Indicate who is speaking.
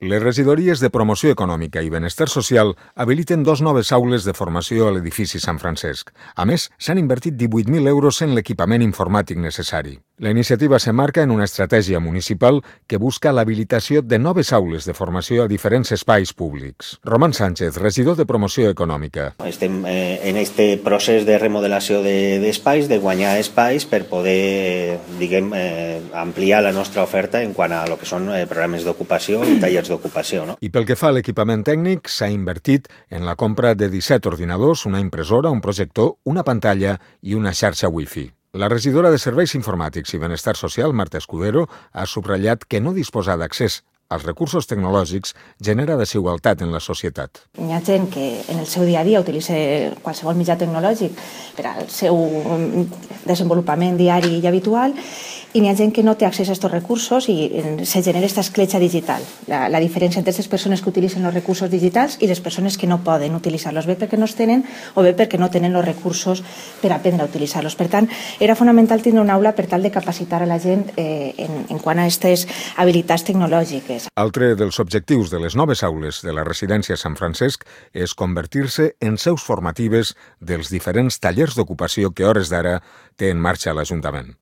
Speaker 1: Les regidories de Promoció Econòmica i Benestar Social habiliten 2 noves aules de formació a l'edifici Sant Francesc. A més, s'han invertit 18.000 euros en l'equipament informàtic necessari. La iniciativa s'emmarca en una estratègia municipal que busca l'habilitació de noves aules de formació a diferents espais públics. Roman Sánchez, regidor de Promoció Econòmica.
Speaker 2: Estem en aquest procés de remodelació d'espais, de guanyar espais per poder, ampliar la nostra oferta en quant a lo que són programes d'ocupació i tallers d'ocupació.
Speaker 1: I pel que fa a l'equipament tècnic, s'ha invertit en la compra de 17 ordinadors, una impressora, un projector, una pantalla i una xarxa Wi-Fi. La regidora de Serveis Informàtics i Benestar Social, Marta Escudero, ha subratllat que no disposar d'accés als recursos tecnològics genera desigualtat en la societat.
Speaker 3: Hi ha gent que en el seu dia a dia utilitza qualsevol mitjà tecnològic per al seu desenvolupament diari i habitual, i n'hi ha gent que no té accés a aquests recursos i se genera aquesta escletxa digital. La diferència entre les persones que utilitzen els recursos digitals i les persones que no poden utilitzar-los, bé perquè no els tenen o bé perquè no tenen els recursos per aprendre a utilitzar-los. Per tant, era fonamental tenir una aula per tal de capacitar a la gent en quant a aquestes habilitats tecnològiques.
Speaker 1: Altre dels objectius de les noves aules de la residència Sant Francesc és convertir-se en seus formatives dels diferents tallers d'ocupació que, a hores d'ara, té en marxa l'Ajuntament.